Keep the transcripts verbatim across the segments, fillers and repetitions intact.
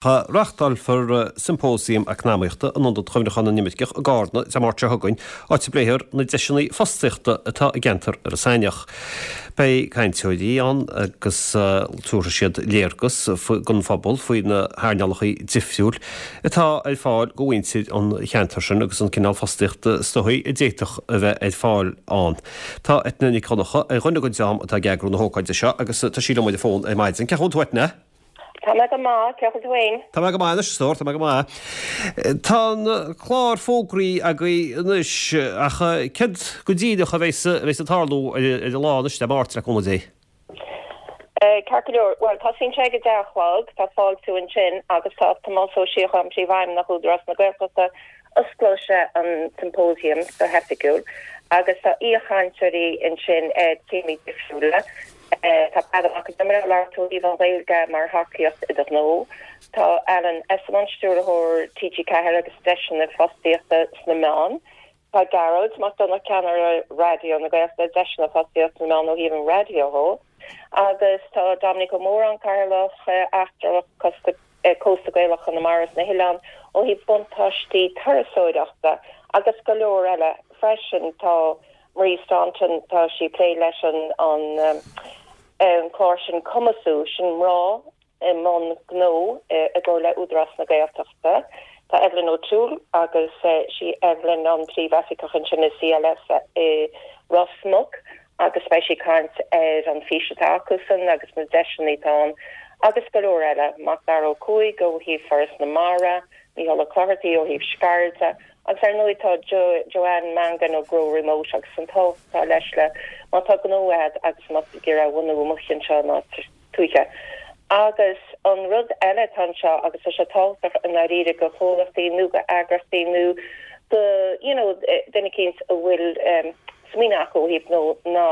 Reáchtálfar Symposium Eacnamaíochta in Ionad Chuimhneachán na nImirceach i gCarna Dé Máirt seo chugainn, áit a bpléifear na deiseanna fostaíochta atá i gceantar Iorras Aithneach. Beidh cainteoirí ann agus tabharfaidh siad léargas don phobal faoi na hearnálacha difriúil atá ar fáil do mhuintir an cheantair sin agus an cineál fostaíochta is dóichí a d'fhéadfadh a bheith ar fáil ann. Tá Eithne Nic Dhonncha ar dhuine den dream atá ag eagrú na hócáide seo agus tá sí liom ar an bhfón ar maidin. Cén chaoi a bhfuil tú Eithne? Tá mé go maith, cén chaoi a bhfuil tú féin? Tá mé go maith anois, a stór, tá mé go maith. Tá an clár fógraí agaibh anois, ach céard go díreach a bheas a bheas ag tarlú ar an lá anois, Dé Máirt, le cúnamh Dé? Ceart go leor, bhuel, tosaíonn sé ag a deich a chlog, tá fáiltiú ansin agus tá Tomás Ó Síocháin, Príomhfheidhmeannach Údarás na Gaeltachta, osclóidh sé an symposium go hoifigiúil agus tá aoichainteoirí ansin ar téamaí difriúla. Tá Peadar Mac Con Iomaire ag labhairt ó thaobh an Ghaeilge mar thacaíocht i do ghnó. Tá Alan Esslemont, Stiúrthóir T G ceathair agus deiseanna fostaíochta sna meáin. Tá Gearóid Mac Donncha, Ceannaire Raidió na Gaeltachta, deiseanna fostaíochta sna meáin ó thaobh an raidió dhó. Agus tá Dominic Ó Móráin, Cathaoirleach Eachtrach Cósta Gaelach Chonamara is na hOileán ó thaobh buntáistí turasóireachta agus go leor eile freisin. Tá Marie Staunton, tá sí ag plé leis an an clár sin Cumasú, sin mná i mbun gnó i gcomhar le Údarás na Gaeltachta. Tá Evelyn O'Toole agus sí Evelyn an príomhoifigeach ansin i C L S i Ros Muc agus beidh sí ag caint ar an fís atá acusan agus na deiseanna atá ann agus go leor eile. Macdara Ó Cuaig ó thaobh Foras na Mara, Mícheál Ó Clochartaigh ó thaobh Sceirde agus ar ndóigh tá Joanne Mangan ó Grow Remote agus an tábhacht atá leis le má tá gnó agat agus má tá tú ag iarraidh a bhunú amuigh anseo in áit tuaithe. Agus an rud eile atá anseo agus tá sé tábhachtach i ndáiríre go chomhlachtaí nó go eagrachtaí nó go you know duine eicínt a bhfuil smaoineamh acu ó thaobh gnó ná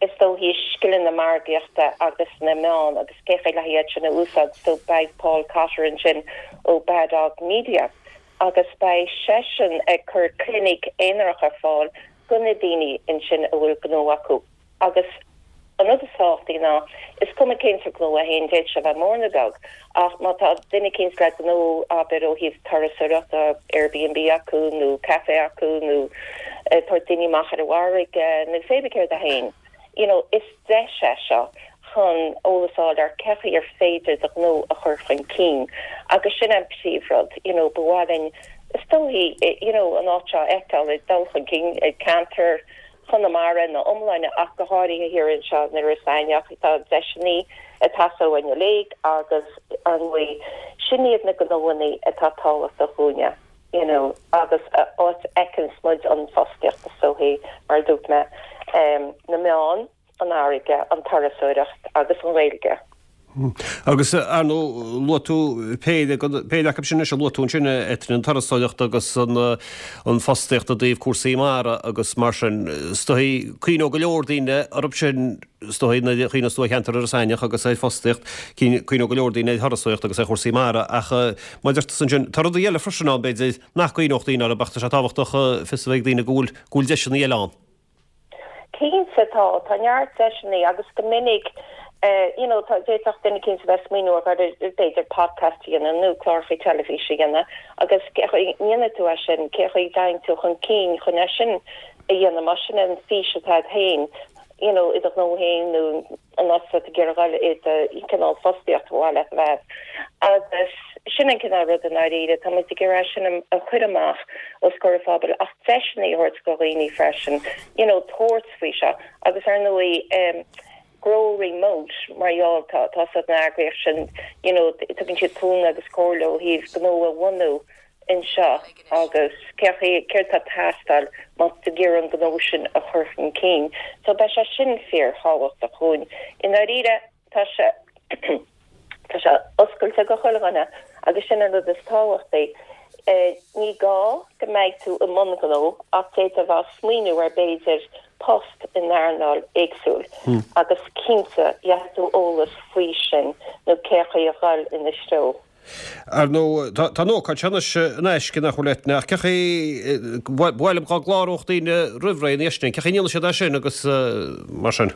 is dóichí scileanna margaíochta agus na meán agus cé chaoi le hiad sin a úsáid so beidh Paul Cotter ansin ó Bad Dog Media agus beidh seisean ag cur clinic aonarach ar fáil go na daoine ansin a bhfuil gnó acu agus an rud is tábhachtaí ná is cuma cén sórt gnó é féin, d'fhéadfadh sé a bheith mór nó beag, ach má tá duine eicínt le gnó, abair ó thaobh turasóireachta, Airbnb acu nó café acu nó ag tabhairt daoine amach ar an bhfarraige nó pé bith céard é féin, you know, is deis é seo chun eolas a fháil ar cé chaoi ar féidir do ghnó a chur chun cinn agus sin an príomhrud, you know, ba mhaith linn is dóichí, you know, an áit seo a fheiceáil ag dul chun cinn, ceantar Chonamara ina iomláine ach go háirithe thiar anseo in Iorras Aithneach. Tá deiseanna ag teastáil uainn uilig agus ar ndóigh sin iad na gnóanna atá tábhachtach dhúinne you know agus áit a fheiceanns muid an fostaíocht is dóichí mar a dúirt mé na meáin, an fharraige, an turasóireacht agus an Ghaeilge. Agus, ar ndóigh, luaigh tú péire, péire acu sin anois a luaigh tú ansin, a Eithne, an turasóireacht agus an fostaíocht i dtaobh cúrsaí mara agus mar sin. Is dóichí, cuimhneoidh go leor daoine orthu sin, is dóichí, nuair a chuimhneos tú ar cheantar Iorras Aithneach agus ar fostaíocht, cuimhneoidh go leor daoine ar thurasóireacht agus ar chúrsaí mara. Ach mar a deir tusa ansin, tá rudaí eile freisin ann, b'fhéidir, nach gcuimhneodh daoine orthu ach tá sé tábhachtach fios a bheith ag daoine go bhfuil, go bhfuil deiseanna eile ann. Cinnte tá, tá neart deiseanna agus go minic you know tá d'fhéadfadh duine eicínt a bheith ag smaoineamh ar b'fhéidir podcast a dhéanamh nó cláracha teilifíse a dhéanamh agus cé chaoi a ndéanfaidh tú é sin, cé chaoi a dtéann tú chun cinn chun é sin a dhéanamh más sin an fís atá agat féin you know i do ghnó féin nó an áit atá tú ag iarraidh a dhul i do cineál fostaíocht a bhain leat a bheith. Agus sin an cineál rud i ndáiríre, tá muid ag iarraidh sin a chur amach os comhair an phobail ach deiseanna a thabhairt do dhaoine freisin, you know, tabhairt faoi seo. Agus ar ndóigh, em, Grow Remote, mar gheall, tá, tá san eagraíocht sin, you know, tugann siad cúnamh agus comhairle ó thaobh gnó a bhunú anseo agus cé chaoi, céard tá ag teastáil má tá tú ag iarraidh an gnó sin a chur chun cinn. So beidh sé sin fíorthábhachtach dhúinn. I ndáiríre, tá sé, tá sé oscailte go chuile dhuine agus sin an rud is tábhachtaí. Ní gá go mbeidh tú i mbun gnó ach d'fhéadfá a bheith ag smaoineamh ar b'fhéidir post in earnáil éagsúil agus cinnte gheobhaidh tú eolas faoi sin nó cé chaoi a dhul ina threo. Ar ndóigh, tá an ócáid seo anois in aisce, nach bhfuil Eithne, ach cé chaoi, ba mhaith liom dá gcláródh daoine roimh ré ina dhiaidh sin, cé chaoi a ndéanfaidh siad é sin agus mar sin?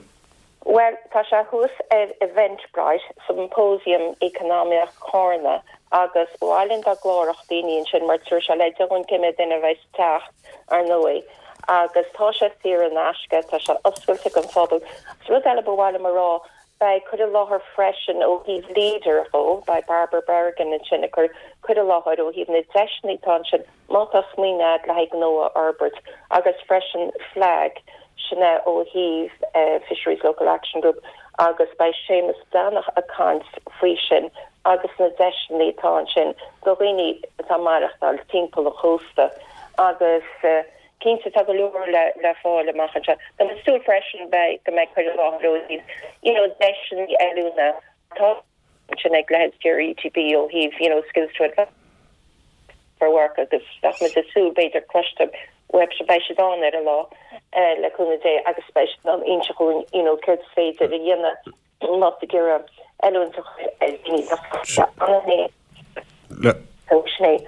Bhuel, tá Tá sé thuas ar Eventbrite Symposium Economic Carna agus ba mhaith linn dá gcláródh daoine ansin mar tabharfaidh sé leid dúinn cé mhéad duine a bheidh ag teacht ar ndóigh. Agus tá sé saor in aisce, tá sé oscailte don phobal. Rud eile ba mhaith liom a rá beidh cur i láthair freisin ó thaobh Leader ó beidh Barbara Bergen ansin ag cur cur i láthair ó thaobh na deiseanna atá ansin má tá smaoineamh le haghaidh gnó a fhorbairt agus freisin flag sin é ó thaobh uh, Fisheries Local Action Group agus beidh Séamus Breathnach ag caint faoi sin agus na deiseanna atá ansin do dhaoine atá ag maireachtáil timpeall an chósta agus uh, cinnte tá go leor le le fáil amach anseo. Tá mé ag súil freisin beidh go mbeidh cur i láthair ó you know deiseanna oiliúna tá sin ag leithéid ETB ó thaobh you know skills to advance for work agus tá muid ag súil b'fhéidir cloiste web se beidh siad ann ar an lá eh, le cúnamh Dé agus beidh siad in ann inse dúinn you know céard is féidir a dhéanamh má tá oiliúint Le sin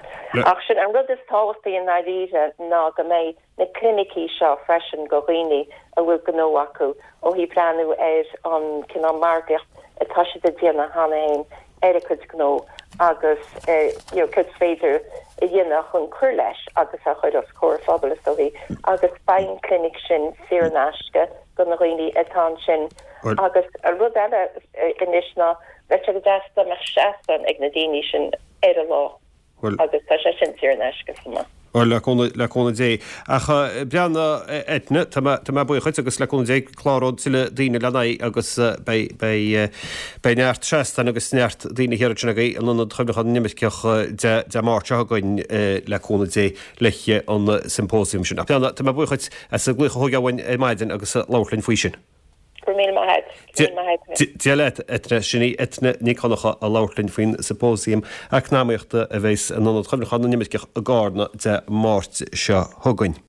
Ach sin an rud is tábhachtaí i ndáiríre ná go mbeidh na clinicí seo freisin do dhaoine a bhfuil gnó acu ó thaobh breathnú ar an cineál margaíocht atá siad ag déanamh cheana féin ar a gcuid gnó agus eh, you know, céard is féidir a dhéanamh chun cur leis agus a chur os comhair phobal is dóichí agus beidh an clinic sin saor in aisce do na dhaoine atá ansin agus a rud eile eh, anois ná bheadh sé go deas dá mbeadh seastán ag na daoine sin ar an lá. agus tá sé sin saor in aisce chomh maith. le le cúnamh Dé ach breanna Eithne tá mé buíoch agus le cúnamh Dé cláróidh tuilleadh daoine lena aghaidh agus beidh neart seastán agus neart daoine thiar ansin agaibh in Ionad Cuimhneacháin na nImirceach Dé Máirt seo chugainn le cúnamh Dé le an symposium sin. Ach breanna tá mé buíoch as an nglaoch a thógáil uainn ar maidin agus labhairt linn faoi sin. Dia leat Eithne sin í Eithne Nic Dhonncha ag labhairt linn faoin symposium eacnamaíochta a bheas in Ionad Cuimhneacháin na nImirceach i gCarna Dé Máirt seo chugainn.